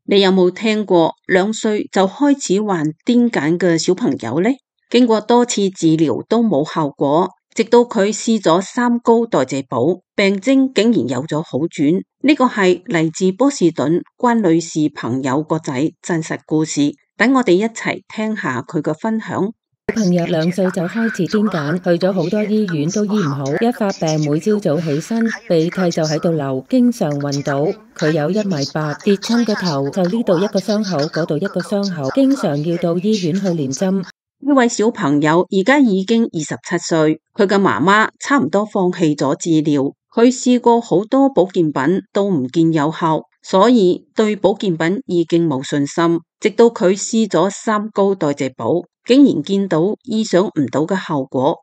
你有冇聽過2歲就開始患癲癇嘅小朋友呢？經過多次治療都冇效果，直到佢試咗3高代謝寶，病徵竟然有咗好轉。呢個係嚟自波士頓關女士朋友個仔真實故事，等我哋一齊聽下佢嘅分享。小朋友2歲就開始癲癇，去咗好多醫院都醫唔好，一發病每朝早起身鼻涕就喺度流，經常暈倒。佢有1.8米，跌親個頭就呢度一個傷口，嗰度一個傷口，經常要到醫院去連針。呢位小朋友而家已經27歲，佢嘅媽媽差唔多放棄咗治療，佢試過好多保健品都唔見有效，所以對保健品已經冇信心。直到佢試咗3高代謝寶，竟然見到意想唔到嘅效果。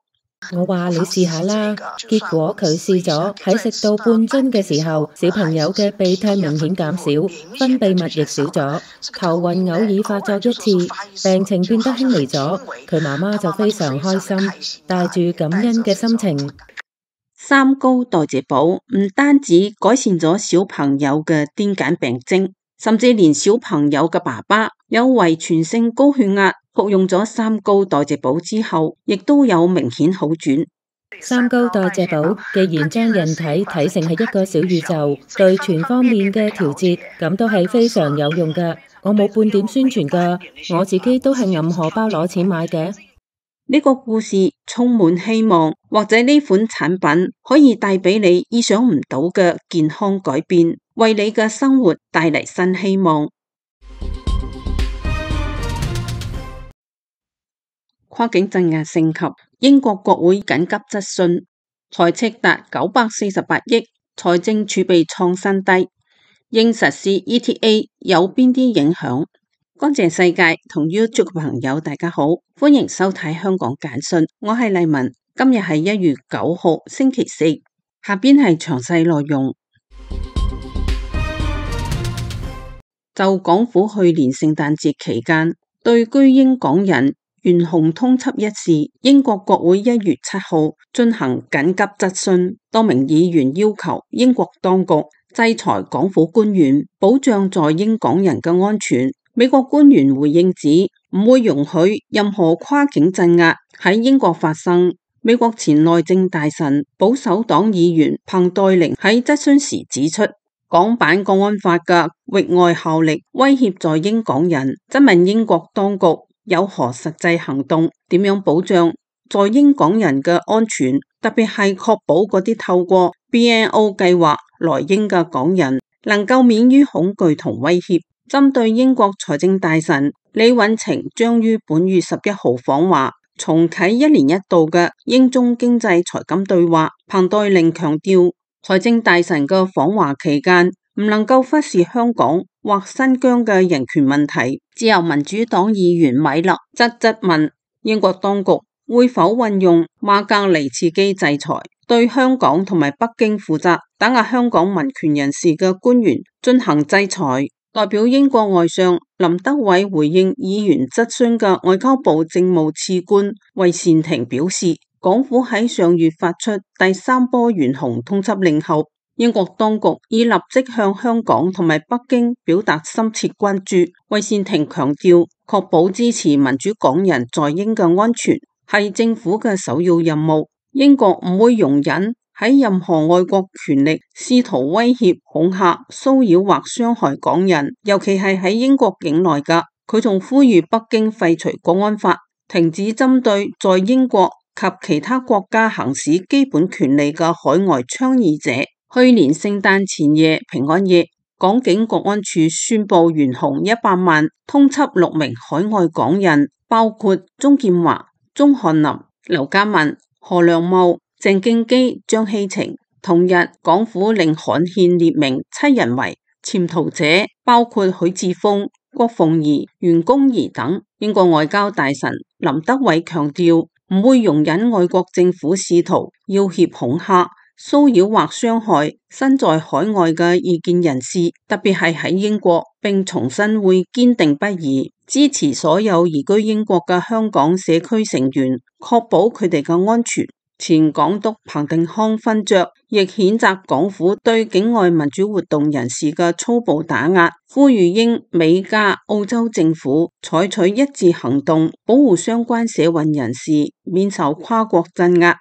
我話你試下啦，結果佢試咗，喺食到半樽嘅時候，小朋友嘅鼻涕明顯減少，分泌物亦少咗，頭暈偶爾發作1次，病情變得輕微咗。佢媽媽就非常開心，帶住感恩嘅心情。3高代謝寶唔單止改善咗小朋友嘅癲癇病徵，甚至連小朋友嘅爸爸有遺傳性高血壓，服用咗3高代謝寶之後，亦都有明顯好轉。3高代謝寶既然將人體睇成係一個小宇宙，對全方面嘅調節，咁都係非常有用㗎。我冇半點宣傳㗎，我自己都係揞荷包攞錢買嘅。呢個故事充滿希望，或者呢款產品可以帶俾你意想唔到嘅健康改變，為你嘅生活帶嚟新希望。跨境鎮壓升級，英國國會緊急質詢，財赤達948億，財政儲備創新低，應實施 ETA 有邊啲影響？乾淨世界同 YouTube 嘅朋友大家好，歡迎收睇香港簡訊，我係麗文，今日係1月9號星期四，下邊係詳細內容。就港府去年聖誕節期間對居英港人懸紅通緝一事，英國國會1月7號進行緊急質詢，多名議員要求英國當局制裁港府官員，保障在英港人嘅安全。美國官員回應指唔會容許任何跨境鎮壓喺英國發生。美國前內政大臣保守黨議員彭黛玲喺質詢時指出，港版國安法嘅域外效力威脅在英港人，質問英國當局有何實際行動，點樣保障在英港人嘅安全，特別係確保嗰啲透過 BNO 計劃來英嘅港人能夠免於恐懼同威脅。針對英國財政大臣李允晴將於本月11號訪華，重啟1年1度嘅英中經濟財金對話，彭黛玲強調，財政大臣嘅訪華期間唔能夠忽視香港或新疆嘅人權問題。自由民主黨議員米勒則質問英國當局會否運用馬格尼茨基制裁，對香港同埋北京負責打壓香港民權人士嘅官員進行制裁。代表英國外相林德偉回應議員質詢嘅外交部政務次官魏善庭表示，港府喺上月發出第3波懸紅通緝令後，英國當局已立即向香港同埋北京表達深切關注。魏善庭強調，確保支持民主港人在英嘅安全係政府嘅首要任務，英國唔會容忍喺任何外國權力試圖威脅、恐嚇、騷擾或傷害港人，尤其係喺英國境內㗎。佢仲呼籲北京廢除國安法，停止針對在英國及其他國家行使基本權利嘅海外倡議者。去年聖誕前夜平安夜，港警國安處宣布懸紅100萬，通緝6名海外港人，包括鍾劍華、鍾漢林、劉家文、何良茂、鄭敬基、張希晴。同日，港府令刊憲列明7人為潛逃者，包括許智峰、郭鳳儀、袁弓夷等。英國外交大臣林德偉強調，唔會容忍外國政府試圖要挾恐嚇、騷擾或傷害身在海外嘅異見人士，特別係喺英國，並重申會堅定不移支持所有移居英國嘅香港社區成員，確保佢哋嘅安全。前港督彭定康勳爵亦譴責港府對境外民主活動人士嘅粗暴打壓，呼籲英美加澳洲政府採取一致行動，保護相關社運人士免受跨國鎮壓。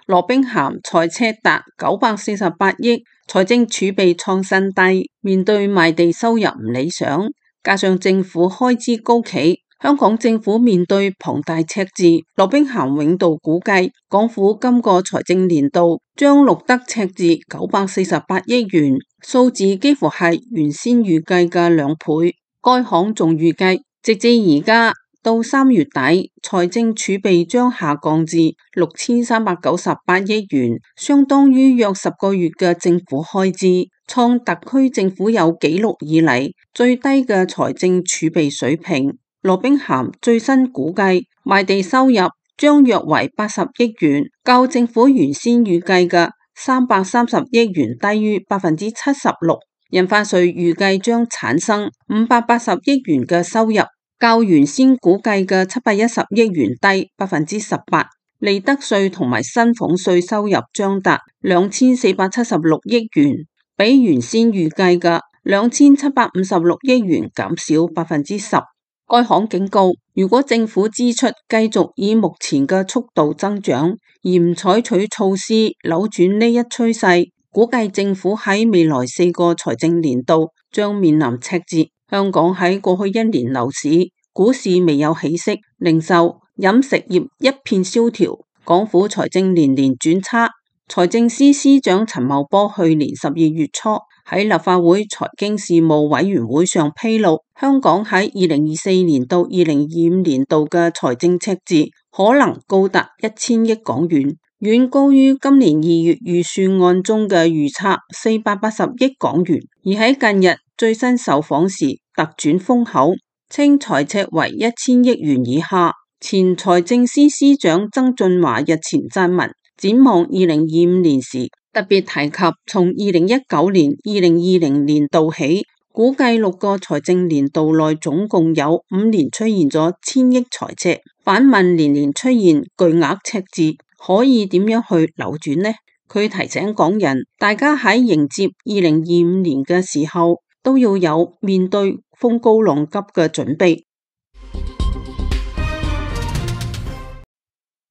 羅兵咸財赤達948億，財政儲備創新低，面對賣地收入唔理想，加上政府開支高企，香港政府面對龐大赤字。羅兵咸永道估計，港府今個財政年度將錄得赤字948億元，數字幾乎係原先預計嘅2倍。該行仲預計，直至而家到3月底，財政儲備將下降至6398億元，相當於約10個月嘅政府開支，創特區政府有紀錄以嚟最低嘅財政儲備水平。羅兵咸最新估計，賣地收入將約為80億元，較政府原先預計嘅330億元低於76%。印花稅預計將產生580億元嘅收入，較原先估計嘅710億元低18%。利得稅同埋薪俸稅收入將達2476億元，比原先預計嘅2756億元減少10%。該行警告，如果政府支出繼續以目前嘅速度增長，而唔採取措施扭轉呢一趨勢，估計政府喺未來4個財政年度將面臨赤字。香港喺過去1年樓市、股市未有起色，零售、飲食業一片蕭條，港府財政年年轉差。財政司司長陳茂波去年12月初喺立法會財經事務委員會上披露，香港喺2024年到2025年度嘅財政赤字可能高達1000億港元，遠高於今年2月預算案中嘅預測480億港元。而喺近日最新受訪時突轉風口，稱財赤為1000億元以下。前財政司司長曾俊華日前撰文，展望2025年時，特別提及從2019年、2020年度起，估計6個財政年度內總共有5年出現咗1000億財赤。反問年年出現巨額赤字，可以點樣去扭轉呢？佢提醒港人，大家喺迎接2025年嘅時候，都要有面對風高浪急嘅準備。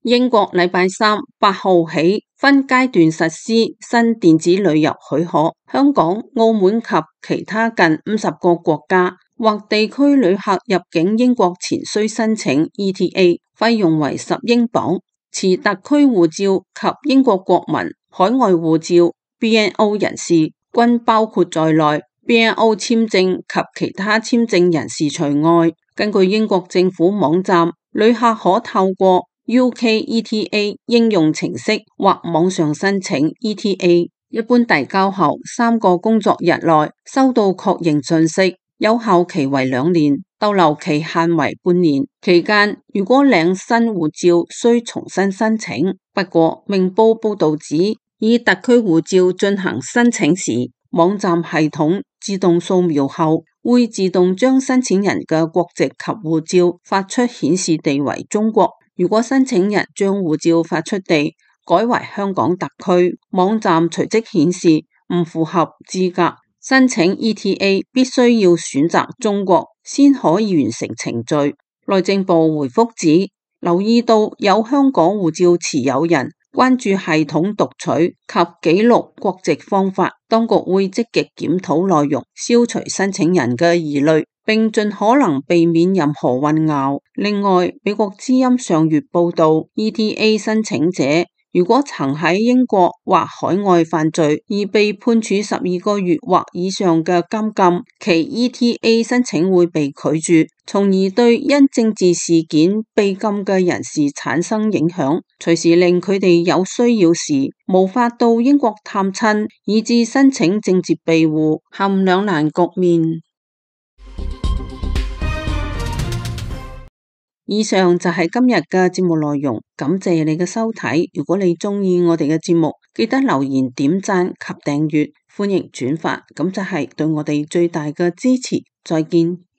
英國禮拜三8號起分階段實施新電子旅遊許可，香港、澳門及其他近50個國家或地區旅客入境英國前需申請 ETA， 費用為10英鎊。持特區護照及英國國民、海外護照 BNO 人士均包括在內， BNO 簽證及其他簽證人士除外。根據英國政府網站，旅客可透過UK ETA 應用程式或網上申請 ETA， 一般遞交後3個工作日內收到確認信息，有效期為2年，逗留期限為半年。期間如果領新護照需重新申請。不過明報報道指，以特區護照進行申請時，網站系統自動掃描後會自動將申請人嘅國籍及護照發出顯示地為中國。如果申請人將護照發出地改為香港特區，網站隨即顯示唔符合資格申請 ETA， 必須要選擇中國先可以完成程序。內政部回覆指，留意到有香港護照持有人關注系統讀取及記錄國籍方法，當局會積極檢討內容，消除申請人嘅疑慮，並盡可能避免任何混淆。另外，美國之音上月報道， ETA 申請者如果曾喺英國或海外犯罪而被判處12個月或以上嘅監禁，其 ETA 申請會被拒絕，從而對因政治事件被禁嘅人士產生影響，隨時令佢哋有需要時無法到英國探親，以致申請政治庇護陷兩難局面。以上就係今日嘅節目內容，感謝你嘅收睇。如果你鍾意我哋嘅節目，記得留言、點讚及訂閱。歡迎轉發，咁就係對我哋最大嘅支持。再見。